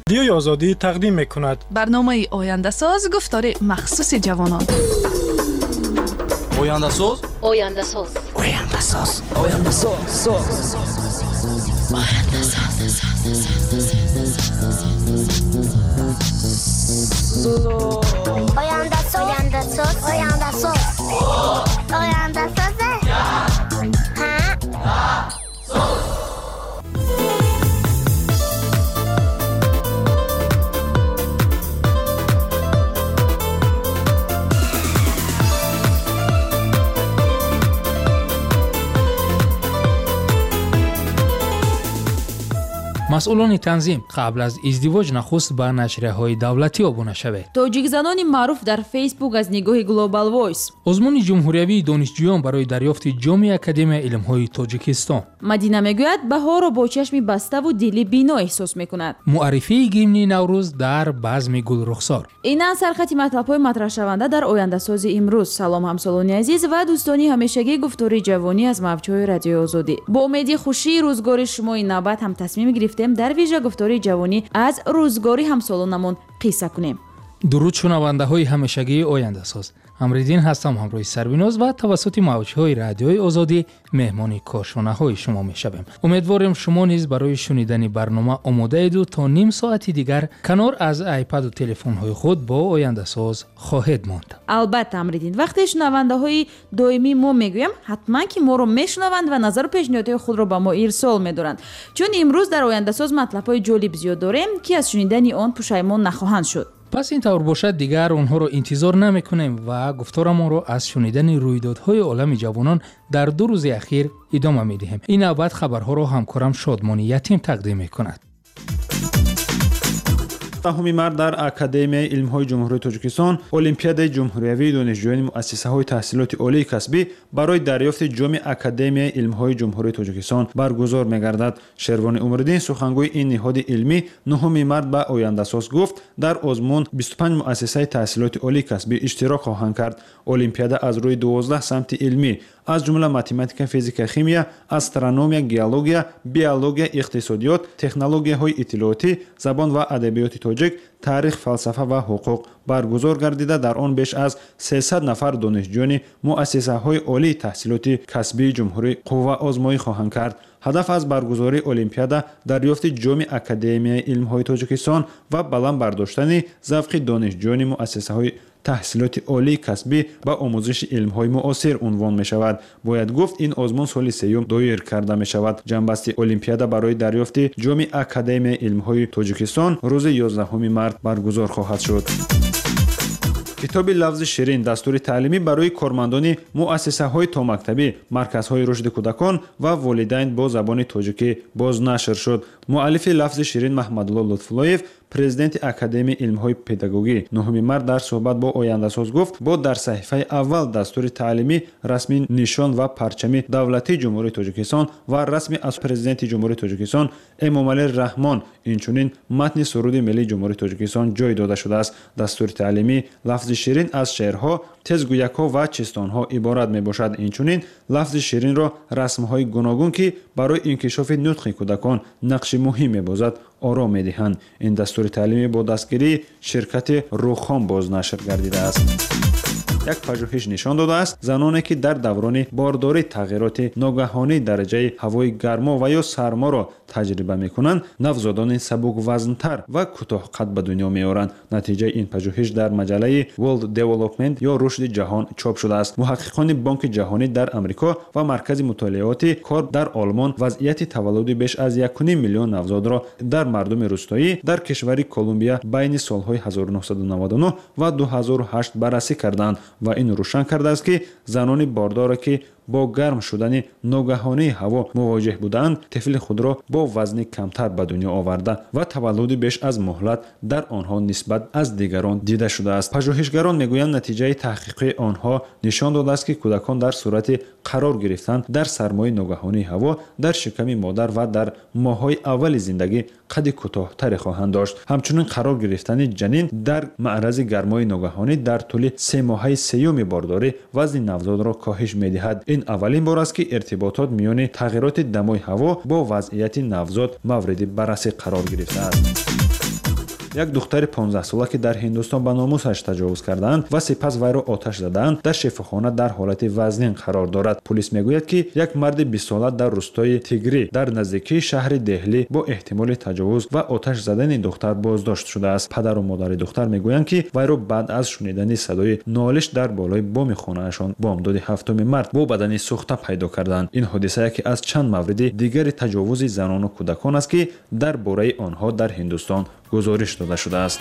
Радиои Озодӣ тақдим мекунад. Барномаи Ояндасоз, гуфтори махсуси ҷавонон. Ояндасоз, Ояндасоз, Ояндасоз, Ояндасоз, Ояндасоз, Ояндасоз, Ояндасоз, Ояндасоз. Масъулони танзим, қабл аз издивоҷ нахуст ба нашрияҳои давлатӣ обуна шавед. Тоҷикзанони маъруф дар Фейсбук аз нигоҳи Global Voice. Озмуни ҷумҳуриявии донишҷӯён барои дарёфти ҷоми Академияи илмҳои Тоҷикистон. Мадина мегӯяд, баҳорро бо чашми баставу дили бино эҳсос мекунад. Муаррифии гимни Наврӯз дар базми Гулрухсор. Инан сархати матлабҳои матраҳшаванда дар Ояндасози имрӯз. Салом, ҳамсолони азиз ва дӯстони ҳамешагии гуфтори ҷавонӣ аз мавҷҳои Радиои Озодӣ. Бо умеди хушии рӯзгори шумо ин навбат ҳам тасмим гирифтем дар вижа гуфтори ҷавонӣ аз рӯзгори ҳамсолонамон қисса кунем. Дуруд, шунавандаҳои ҳамешагии Ояндасоз. Амриддин ҳастам ҳамроҳи Сарвиноз ва тавассути мавҷҳои Радиои Озодӣ меҳмони кошонаҳои шумо мешавем. Умедворем, шумо низ барои шунидани барнома омодаеду то ним соати дигар канор аз айпаду телефонҳои худ бо Ояндасоз хоҳед монд. Албатта, Амриддин, вақте шунавандаҳои доимии мо мегӯям, ҳатман ки моро мешунаванд ва назару пешниҳодҳои худро ба мо ирсол медоранд. Чун имрӯз дар Ояндасоз матлабҳои ҷолиб зиёд дорем, ки аз шунидани он пушаймон нахоҳанд шуд. Пас ин тавр бошад, дигар онҳоро интизор намекунем ва гуфторамонро аз шунидани рӯйдодҳои олами ҷавонон дар 2 рӯзи ахир идома медиҳем. Ин навбат хабарҳоро ҳамкорам Шодмони Ятим тақдим мекунад. 10 март дар Академияи илмҳои Ҷумҳурии Тоҷикистон Олимпиадаи ҷумҳуриявии донишҷӯёни муассисаҳои таҳсилоти олии касбӣ барои дарёфти ҷоми Академияи илмҳои Ҷумҳурии Тоҷикистон баргузор мегардад. Шервони Умриддин, сухангӯи ин ниҳоди илмӣ, 9 март ба Ояндасоз гуфт, дар озмун 25 муассисаи таҳсилоти олии касбӣ иштирок хоҳанд кард. Олимпиада аз рӯи 12 самти илмӣ, аз ҷумла математика, физика, химия, астрономия, геология, биология, иқтисодиёт, технологияҳои иттилоотӣ, забон ва адабиёти тоҷик, таърих, фалсафа ва ҳуқуқ баргузор гардида, дар он беш аз 300 нафар донишҷӯёни муассисаҳои олии таҳсилоти касбии ҷумҳурӣ қувваозмоӣ хоҳанд кард. Ҳадаф аз баргузории олимпиада дарёфти ҷоми Академияи илмҳои Тоҷикистон ва баланд бардоштани завқи донишҷӯёни муассисаҳои таҳсилоти олии касбӣ ба омӯзиши илмҳои муосир унвон мешавад. Бояд гуфт, ин озмун соли сеюм доир карда мешавад. Ҷамъбасти олимпиада барои дарёфти ҷоми Академияи илмҳои Тоҷикистон рӯзи 11 март баргузор хоҳад шуд. Китоби лафзи ширин, дастури таълимӣ барои кормандони муассисаҳои томактабӣ, марказҳои рушди кӯдакон ва волидайн бо забони тоҷикӣ бознашр шуд. Муаллифи лафзи ширин Маҳмадулло Лутфуллоев, президенти Академияи илмҳои педагогӣ, 9 март дар суҳбат бо Ояндасоз гуфт, бо дар саҳифаи аввал дастури таълимӣ расми нишон ва парчами давлатии Ҷумҳурии Тоҷикистон ва расми аз президенти Ҷумҳурии Тоҷикистон Эмомалӣ Раҳмон, инчунин матни суруди миллии Ҷумҳурии Тоҷикистон ҷой дода шудааст. Дастури таълимӣ лафзи ширин аз шеърҳо, тезгӯякҳо ва чистонҳо иборат мебошад. Инчунин лафзи ширинро расмҳои гуногун, ки барои инкишофи нутқи кӯдакон нақши муҳим мебозад, ором медиҳанд. Ин дастури таълимӣ бо дастгирии ширкати Рухом бознашр гардидааст. Як пажӯҳиш нишон додааст, заноне ки дар даврони бордорӣ тағйироти ногаҳонии дараҷаи ҳавои гармо ва ё сарморо таҷриба мекунанд, навзодони сабуквазнтар ва кӯтоҳқад ба дунё меоранд. Натиҷаи ин пажӯҳиш дар маҷаллаи World Development ё рушди ҷаҳон чоп шудааст. Муҳаққиқони Бонки ҷаҳонӣ дар Амрико ва Маркази мутолиоти кор дар Олмон вазъияти таваллуди беш аз 1,5 миллион навзодро дар мардуми рӯстоӣ дар кишвари Колумбия байни солҳои 1999 ва 2008 баррасӣ карданд ва ин рӯшан кардааст, ки занони бордоре, ки бо гарм шудани ногаҳонии ҳаво мувоҷеҳ буданд, тифли худро бо вазни камтар ба дунё оварда ва таваллуди беш аз муҳлат дар онҳо нисбат аз дигарон дида шудааст. Пажӯҳишгарон мегӯянд, натиҷаи таҳқиқи онҳо нишон додааст, ки кӯдакон дар сурати қарор гирифтан дар сармои ногаҳонии ҳаво дар шиками модар ва дар моҳҳои аввали зиндагӣ қади кӯтоҳтаре хоҳанд дошт. Ҳамчунин қарор гирифтани ҷанин дар маърази гармои ногаҳонӣ дар тӯли 3 моҳаи сеюми бордорӣ вазни навзодро коҳиш медиҳад. Ин аввалин бор аст, ки иртиботот миёни тағйироти дамои ҳаво бо вазъияти навзод мавриди баррасӣ қарор гирифтааст. Як духтари 15-сола, ки дар Ҳиндустон ба номусаш таҷовуз кардаанд ва сипас вайро оташ задаанд, дар шифохона дар ҳолати вазнин қарор дорад. Пулис мегӯяд, ки як марди 20-сола дар рустои Тигрӣ дар наздикии шаҳри Деҳлӣ бо эҳтимоли таҷовуз ва оташ задани духтар боздошт шудааст. Падару модари духтар мегӯянд, ки вайро баъд аз шунидани садои нолиш дар болои боми хонаашон бомдоди 7 март бо бадани сӯхта пайдо карданд. Ин ҳодиса яке аз чанд мавриди дигари таҷовузи занону кӯдакон аст, ки дар бораи онҳо дар Ҳиндустон гузориш дода шудааст.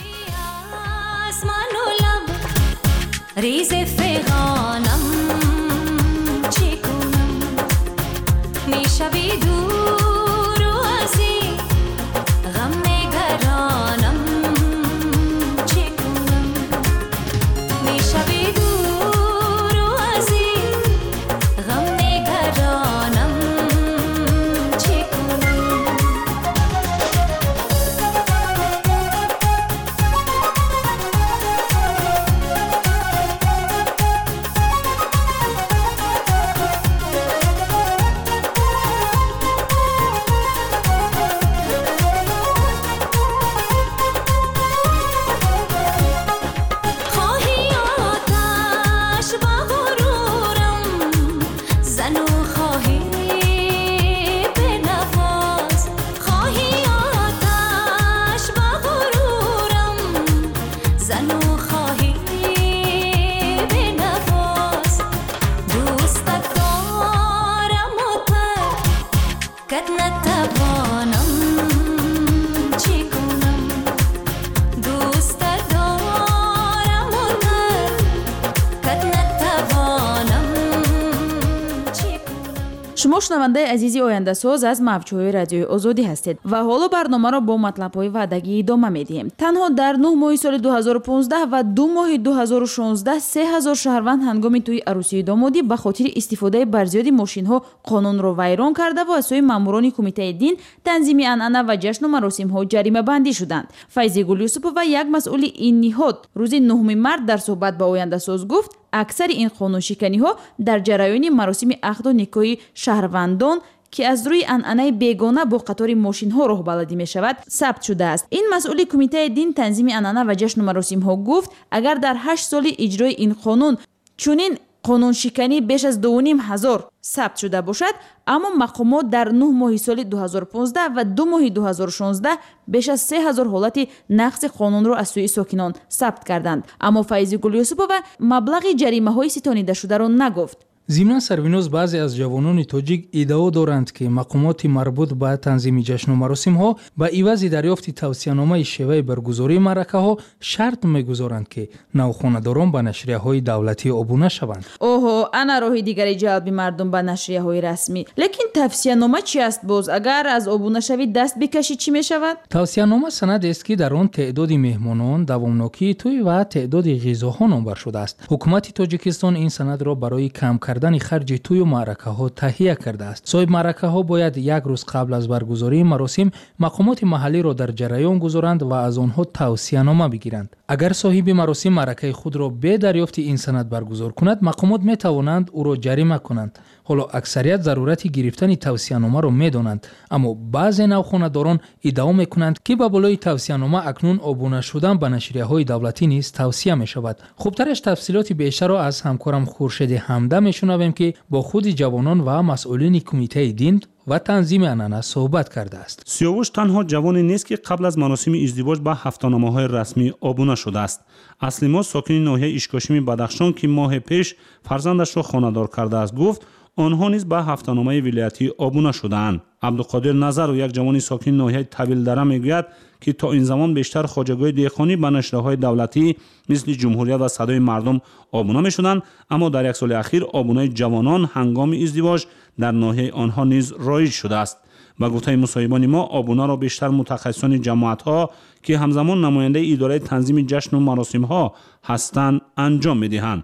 Шумо шунавандаи азизи ояндасоз аз мавҷҳои радиои Озодӣ ҳастед ва ҳоло барномаро бо матлабҳои ваъдагӣ идома медиҳем. Танҳо дар 9 моҳи соли 2015 ва 2 моҳи 2016 3000 шаҳрванд ҳангоми тӯи арӯсии домодӣ ба хотири истифодаи барзиёди мошинҳо қонунро вайрон карда ва аз сӯи маъмурони кумитаи дин, танзими анъана ва ҷашну маросимҳо ҷаримабандӣ шуданд. Файзигул Юсупова, як масъули ин ниҳод, рӯзи 9 март дар суҳбат ба ояндасоз гуфт, аксари ин қонуншиканиҳо дар ҷараёни маросими ақду никоҳи шаҳрвандон, ки аз рӯи анъанаи бегона бо қатори мошинҳо роҳбаладӣ мешавад, сабт шудааст. Ин масъули кумитаи дин, танзими анъана ва ҷашну маросимҳо гуфт, агар дар 8 соли иҷрои ин қонун чунин қонуншиканӣ беш аз 2500 сабт шуда бошад, аммо мақомот дар 9 моҳи соли 2015 ва 2 моҳи 2016 беш аз 3000 ҳолати нақзи қонунро аз сӯи сокинон сабт карданд. Аммо Файзигул Юсупова маблағи ҷаримаҳои ситонидашударо нагуфт. Зимнан, Сарвиноз, баъзе аз ҷавонони тоҷик иддао доранд, ки мақомоти марбут ба танзими ҷашну маросимҳо ба ивази дарёфти тавсияномаи шеваи баргузории маъракаҳо шарт мегузоранд, ки навхонадорон ба нашрияҳои давлатӣ обуна шаванд. Оҳо, ана роҳи дигари ҷалби мардум ба нашрияҳои расмӣ. Лекин тавсиянома чи аст боз? Агар аз обунашавӣ даст бикашӣ, чӣ мешавад? Тавсиянома санадест, ки дар он теъдоди меҳмонон, давомнокии тӯй ва теъдоди ғизоҳо номбар шудааст. Ҳукумати Тоҷикистон ин санадро барои кам кардани харҷи тӯю маъракаҳо таҳия кардааст. Соҳиб маъракаҳо бояд як рӯз қабл аз баргузории маросим мақомоти маҳаллиро дар ҷараён гузоранд ва аз онҳо тавсиянома бигиранд. Агар соҳиби маросим маъракаи худро бе дарёфти ин санад баргузор кунад, мақомот метавонанд ӯро ҷарима кунанд. Ҳоло аксарият зарурати гирифтани тавсияномаро медонанд, аммо баъзе навхонадорон иддао мекунанд, ки ба болои тавсиянома акнун обуна шудан ба нашрияҳои давлатӣ низ тавсия мешавад. Хубтараш тафсилоти бештарро аз ҳамкорам Хуршеди Ҳамда мешунавем, ки бо худи ҷавонон ва масъулини кумитаи дин ва танзими анъана суҳбат кардааст. Сиёвуш танҳо ҷавоне нест, ки қабл аз маросими издивоҷ ба ҳафтаномаҳои расмӣ обуна шудааст. Асли мо сокини ноҳияи Ишкошими Бадахшон, ки моҳе пеш фарзандашро хонадор кардааст, гуфт, онҳо низ ба ҳафтаномаи вилоятӣ обуна шудаанд. Абдуқодир Назаров, як ҷавони сокини ноҳияи Тавилдара, мегӯяд, ки то ин замон бештар хоҷагиҳои деҳқонӣ ба нашрияҳои давлатӣ мисли Ҷумҳурият ва Садои мардум обуна мешуданд, аммо дар як соли ахир обунаи ҷавонон ҳангоми издивоҷ дар ноҳияи онҳо низ роиҷ шудааст. Ба гуфтаи мусоҳибони мо, обунаро бештар мутахассисони ҷамоатҳо, ки ҳамзамон намояндаи идораи танзими ҷашну маросимҳо ҳастанд, анҷом медиҳанд.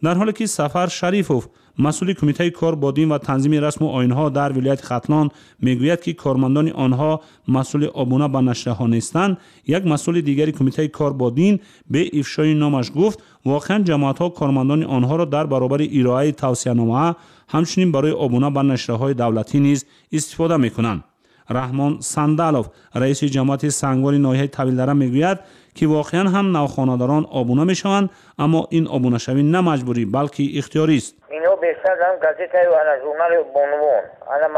Дар ҳоле ки Сафар Шарифов, масъули кумитаи кор бо дин ва танзими расму оинҳо дар вилояти Хатлон, мегӯяд, ки кормандони онҳо масъули обуна ба нашрияҳо нестанд, як масъули дигари кумитаи кор бо дин бе ифшои номаш гуфт, воқеан ҷамоатҳо кормандони онҳоро дар баробари ироаи тавсиянома ҳамчунин барои обуна ба нашрияҳои давлатӣ низ истифода мекунанд. Раҳмон Сандалов, раиси ҷамоати Сангвори ноҳияи Тавилдара, мегӯяд, ки воқеан ҳам навхонадорон обуна мешаванд, аммо ин обунашавӣ на маҷбурӣ, балки ихтиёрист. Инҳо бештар газетаю ана журнали бонувон, ана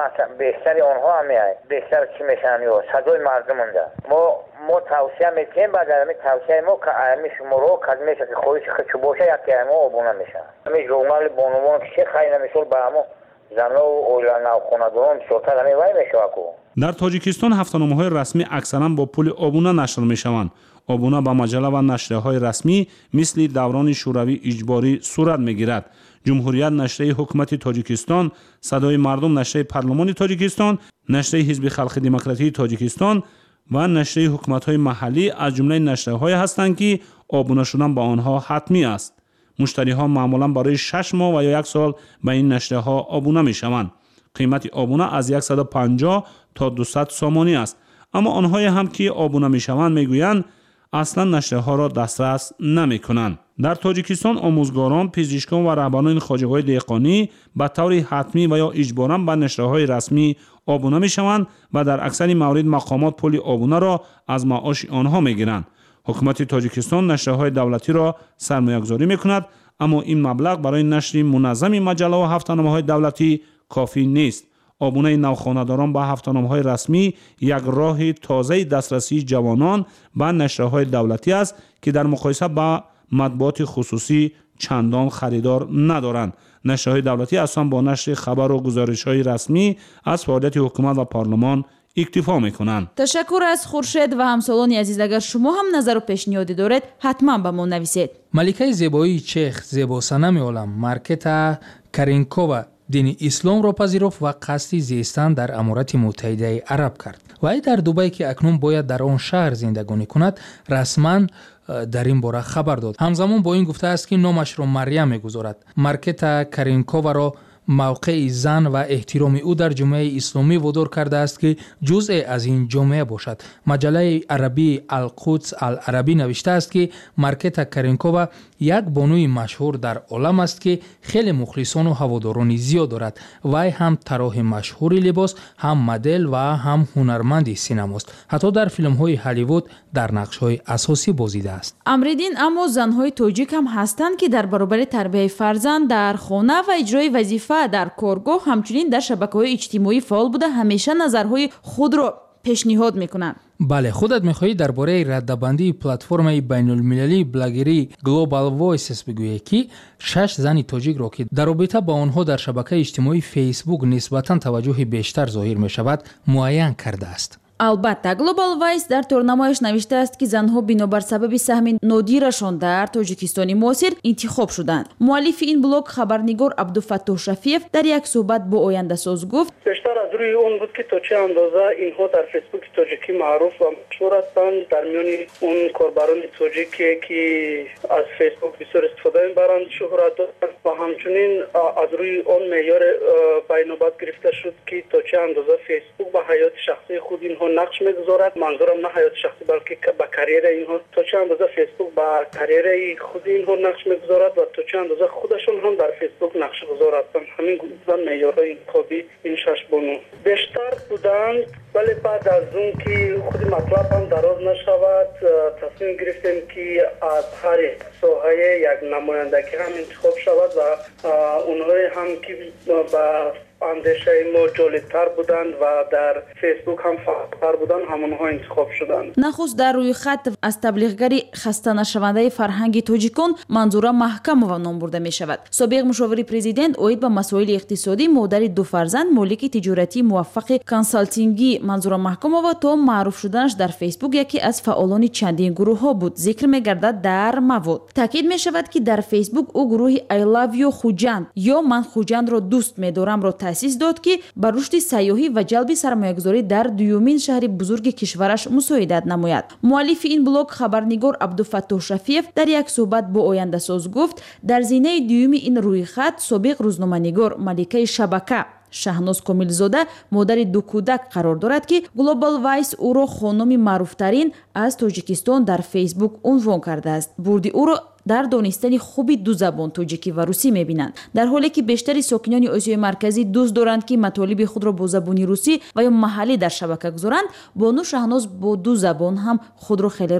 бештари онҳо ҳамеай, бештар чӣ мешаванд ё садои мардумонда. Мо тавсия метиҳем, баъд ами тавсияи мо ами шуморо кадмеша ки хоҳиши худшу боша, яке мо обуна мешаванд. Ами журнали бонувон ки хайна мисол ба ҳамо занову оила навхонадорон бисёртар ами вай мешавад ку. Дар Тоҷикистон ҳафтаномаҳои расмӣ аксаран бо пули обуна нашр мешаванд. Обуна ба маҷалла ва нашрияҳои расмӣ мисли даврони шӯравӣ иҷборӣ сурат мегирад. Ҷумҳурият нашрияи ҳукумати Тоҷикистон, Садои мардум нашрияи парлумони Тоҷикистон, нашрияи Ҳизби халқи демократии Тоҷикистон ва нашрияи ҳукуматҳои маҳаллӣ аз ҷумлаи нашрияҳое ҳастанд, ки обуна шудан ба онҳо ҳатмӣ аст. Муштариҳо маъмулан барои 6 моҳ ва ё 1 сол ба ин нашрияҳо обуна мешаванд. Қимати обуна аз 150 то 200 сомонӣ аст. Аммо онҳое ҳам ки обуна мешаванд, мегӯянд, аслан нашрияҳоро дастрас намекунанд. Дар Тоҷикистон омӯзгорон, пизишкон ва раҳбарони хоҷагиҳои деҳқонӣ ба таври ҳатмӣ ва ё иҷборан ба нашрияҳои расмӣ обуна мешаванд ва дар аксари маврид мақомот пули обунаро аз маоши онҳо мегиранд. Ҳукумати Тоҷикистон нашрияҳои давлатиро сармоягузорӣ мекунад, аммо ин маблағ барои нашри муназзами маҷаллаву ҳафтаномаҳои давлатӣ кофӣ нест. Обунаи навхонадорон ба ҳафтаномаҳои расмӣ як роҳи тозаи дастрасии ҷавонон ба нашрияҳои давлатӣ аст, ки дар муқоиса ба матбуоти хусусӣ чандон харидор надоранд. Нашрияҳои давлатӣ асосан бо нашри хабару гузоришҳои расмӣ аз фаъолияти ҳукумат ва парлумон иктифо мекунанд. Ташаккур аз Хуршед ва ҳамсолони азиз. Агар шумо ҳам назару пешниҳодӣ доред, ҳатман ба мо нависед. Маликаи зебоии чех, зебосанами олам Маркета Каринкова дини исломро пазируфт ва қасди зистан дар Аморати Муттаҳидаи Араб кард. Вай дар Дубай, ки акнун бояд дар он шаҳр зиндагонӣ кунад, расман дар ин бора хабар дод. Ҳамзамон бо ин гуфтааст, ки номашро Марьям мегузорад. Маркета Каринковаро мавқеи зан ва эҳтироми ӯ дар ҷомеаи исломӣ водор кардааст, ки ҷузъе аз ин ҷомеа бошад. Маҷаллаи арабии Алқудс Ал-Арабӣ навиштааст, ки Маркета Каринкова як бонуи машҳур дар олам аст, ки хеле мухлисону ҳаводорони зиёд дорад. Вай ҳам тарроҳи машҳури либос, ҳам модел ва ҳам ҳунарманди синамост. Ҳатто дар филмҳои Ҳолливуд дар нақшҳои асосӣ бозидааст. Амриддин, аммо занҳои тоҷик ҳам ҳастанд, ки дар баробари тарбияи фарзанд дар хона ва иҷрои вазифа дар коргоҳ, ҳамчунин дар шабакаҳои иҷтимоӣ фаъол буда, ҳамеша назарҳои худро пешниҳод мекунанд. Бале, худат мехоҳӣ дар бораи раддабандии платформаи байнулмилалии блогерии Global Voices бигӯе, ки 6 зани тоҷикро, ки дар робита ба онҳо дар шабакаи иҷтимоии Фейсбук нисбатан таваҷҷӯҳи бештар зоҳир мешавад, муайян кардааст. Албатта, Global Voice дар торнамояш навиштааст, ки занҳо бинобар сабаби саҳми нодирашон дар Тоҷикистони муосир интихоб шуданд. Муаллифи ин блог, хабарнигор Абдуфаттоҳ Шафиев, дар як суҳбат бо Ояндасоз гуфт: бештар аз рӯи он буд, ки то чӣ андоза инҳо дар Фейсбуки тоҷикӣ маъруф ва машҳур ҳастанд. Дар миёни он корбарони тоҷике, ки аз Фейсбук бисёр истифода мебаранд, шӯҳрат доранд ва ҳамчунин аз рӯи он меъёр ба инобат гирифта шуд, ки то чӣ андоза Фейсбук ба ҳаёти шахсии худ инҳо нақш мегузорад. Манзурам на ҳаёти шахсӣ, балки ба карьераи инҳо, то чӣ андоза Фейсбук ба карьераи худи инҳо нақш мегузорад ва то чӣ андоза худашон ҳам дар Фейсбук нақшгузор ҳастанд. Ҳамин гуна меъёрҳои интихобӣ ин 6 бону бештар буданд, вале баъд аз он ки худи матлаб ҳам дароз нашавад, тасмим гирифтем, ки аз ҳар соҳае як намояндагӣ ҳам интихоб шавад ва онҳое ҳам ки ба андешаи мо ҷолибтар буданд ва дар Фейсбук ҳам фаъолтар буданд, ҳамонҳо интихоб шуданд. Нахуст дар рӯйхат аз таблиғгари хастанашавандаи фарҳанги тоҷикон Манзура Маҳкамова ном бурда мешавад. Собиқ мушовири президент оид ба масоили иқтисодӣ, модари ду фарзанд, молики тиҷоратии муваффақи консалтингӣ Манзура Маҳкамова то маъруф шуданаш дар Фейсбук яке аз фаъолони чандин гурӯҳҳо буд, зикр мегардад дар мавод. Таъкид мешавад, ки дар Фейсбук ӯ гурӯҳи I love you Хуҷанд ё ман Хуҷандро дӯст медорамро таъсис дод, ки ба рушди сайёҳӣ ва ҷалби сармоягузорӣ дар дуюмин шаҳри бузурги кишвараш мусоидат намояд. Муаллифи ин блог, хабарнигор Абдуфаттоҳ Шафиев, дар як суҳбат бо Ояндасоз гуфт, дар зинаи дуюми ин рӯйхат собиқ рӯзноманигор, маликаи шабака Шаҳноз Комилзода, модари ду кӯдак қарор дорад, ки Global Voice ӯро хонуми маъруфтарин аз Тоҷикистон дар Фейсбук унвон кардааст. Бурди ӯро Дар донистани хуби ду забон, тоҷикӣ ва русӣ, мебинанд. Дар ҳоле ки бештари сокинони Осиёи Марказӣ дӯст доранд, ки матолиби худро бо забони русӣ ва ё маҳаллӣ дар шабака гузоранд, бону Шаҳноз бо ду забон ҳам худро хеле